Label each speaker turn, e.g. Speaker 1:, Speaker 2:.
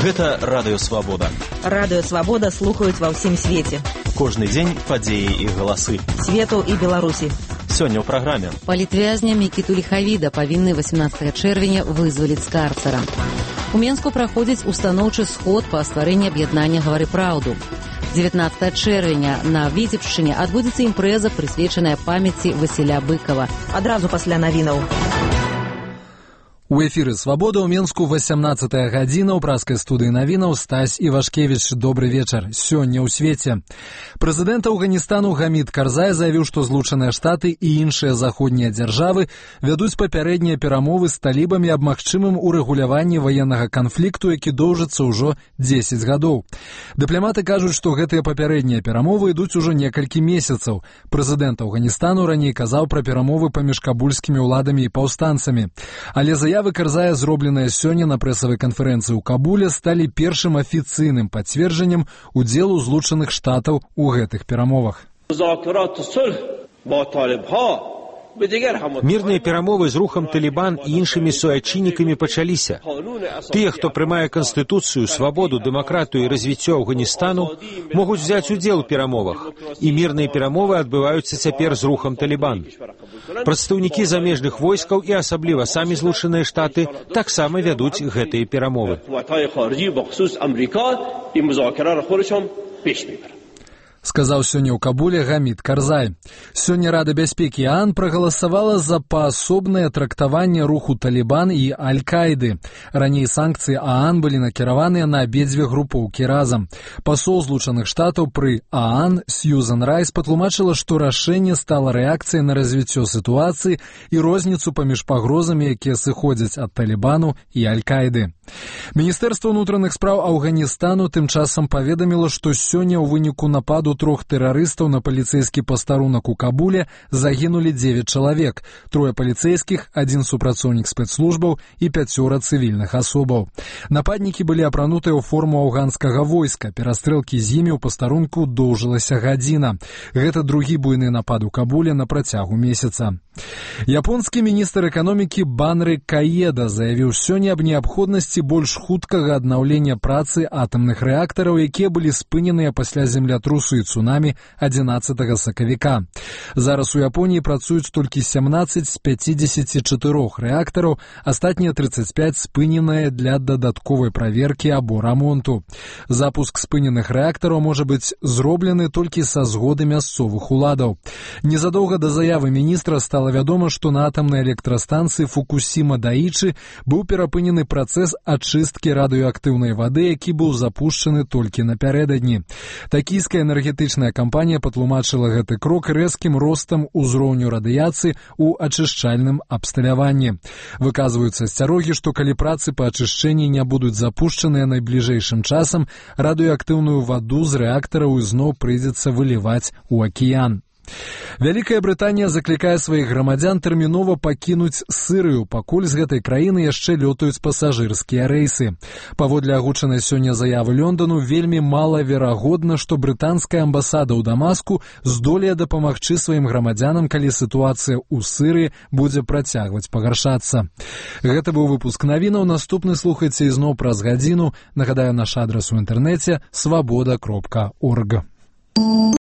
Speaker 1: Гэта Радыё Свабода.
Speaker 2: Радыё Свабода слухаюць ва ўсім свеце.
Speaker 1: Кожны дзень падзеі і галасы.
Speaker 2: Свету і Беларусі.
Speaker 1: Сёння ў праграме.
Speaker 3: Палітвязня Мікіту Ліхавіда павінны 18 чэрвеня вызваліць з карцара. У Менску праходзіць устаноўчы сход па стварэнні аб'яднання «Гавары праўду». 19 чэрвеня на Віцебшчыне адбудзецца імпрэза, прысвечаная памяці Васіля Быкова.
Speaker 2: Адразу пасля навінаў.
Speaker 4: У эфіры «Свабода» ў Менску 18 гадзіна ў праскай студыі навінаў Стась Івашкевіч. Добры вечар. Сёння ў свеце. Прэзідэнт Афганістану Гамід Карзай заявіў, што Злучаныя Штаты і іншыя заходнія дзяржавы вядуць папярэднія перамовы з талібамі аб магчымым урэгуляванні ваеннага канфлікту, які доўжыцца ўжо 10 гадоў. Дыпламаты кажуць, што гэтыя папярэднія перамовы ідуць ужо некалькі месяцаў. Прэзідэнт Афганістану раней казаў пра перамовы паміж кабульскімі ўладамі і паўстанцамі. Але заявы Карзая, зробленыя сёння на прэсавай канферэнцыі ў Кабуле, сталі першым афіцыйным пацверджаннем удзелу Злучаных Штатаў у гэтых перамовах.
Speaker 5: Мірныя перамовы з рухам Талібан і іншымі суайчыннікамі пачаліся. Тыя, хто прымае канстытуцыю, свабоду, дэмакратыю і развіццё Афганістану, могуць взяць удзел у перамовах, і мірныя перамовы адбываюцца цяпер з рухам Талібан. Прадстаўнікі замежных войскаў і асабліва самі Злучаныя Штаты таксама вядуць гэтыя перамовы.
Speaker 4: Сказаў сёння ў Кабуле Гамід Карзай. Сёння Рада бяспекі ААН прагаласавала за паасобнае трактаванне руху Талібан і Аль-Каіды. Раней санкцыі ААН былі накіраваныя на абедзве групоўкі разам. Пасол Злучаных Штатаў пры ААН Сьюзан Райс патлумачыла, што рашэнне стала рэакцыяй на развіццё сітуацыі і розніцу паміж пагрозамі, якія сыходзяць ад Талібану і Аль-Каіды. Міністэрства ўнутраных спраў Афганістану тым часам паведаміла, што сёння ў выніку нападу 3 тэрарыстаў на паліцэйскі пастарунак у Кабуле загінулі 9 чалавек, 3 паліцэйскіх, 1 супрацоўнік спецслужбаў і 5 цывільных асобаў. Нападнікі былі апранутыя ў форму афганскага войска. Перастрэлкі з імі ў пастарунку доўжылася гадзіна. Гэта другі буйны напад у Кабуле на працягу месяца. Японскі міністр эканомікі Банры Каеда заявіў сёння аб неабходнасці больш хуткага аднаўлення працы атамных рэактараў, якія былі спыненыя пасля землятрусу і цунамі 11 сакавіка. Зараз у Японіі працуюць толькі 17 з 54 рэактараў, астатнія 35 спыненыя для дадатковай праверкі або рамонту. Запуск спыненых рэактараў можа быць зроблены толькі са згоды мясцовых уладаў. Незадоўга да заявы міністра стала вядома, што на атамнай электрастанцыі Фукусіма-Даічы быў перапынены працэс ачысткі радыёактыўнай вады, які быў запушчаны толькі напярэдадні. Такійская энергетычная кампанія патлумачыла гэты крок рэзкім ростам узроўню радыяцыі ў ачышчальным абсталяванні. Выказваюцца асцярогі, што калі працы па ачышчэнні не будуць запушчаныя найбліжэйшым часам, радыёактыўную ваду з рэактараў ізноў прыйдзецца выліваць у акіян. Вялікая Брытанія заклікае сваіх грамадзян тэрмінова пакінуць Сірыю, пакуль з гэтай краіны яшчэ лётаюць пасажырскія рэйсы. Паводле агучанай сёння заявы Лондану, вельмі малаверагодна, што брытанская амбасада ў Дамаску здолее дапамагчы сваім грамадзянам, калі сітуацыя ў Сірыі будзе працягваць пагаршацца. Гэта быў выпуск навінаў. Наступны слухайце ізноў праз гадзіну. Нагадаю, наш адрас у інтэрнэце свабода.орг.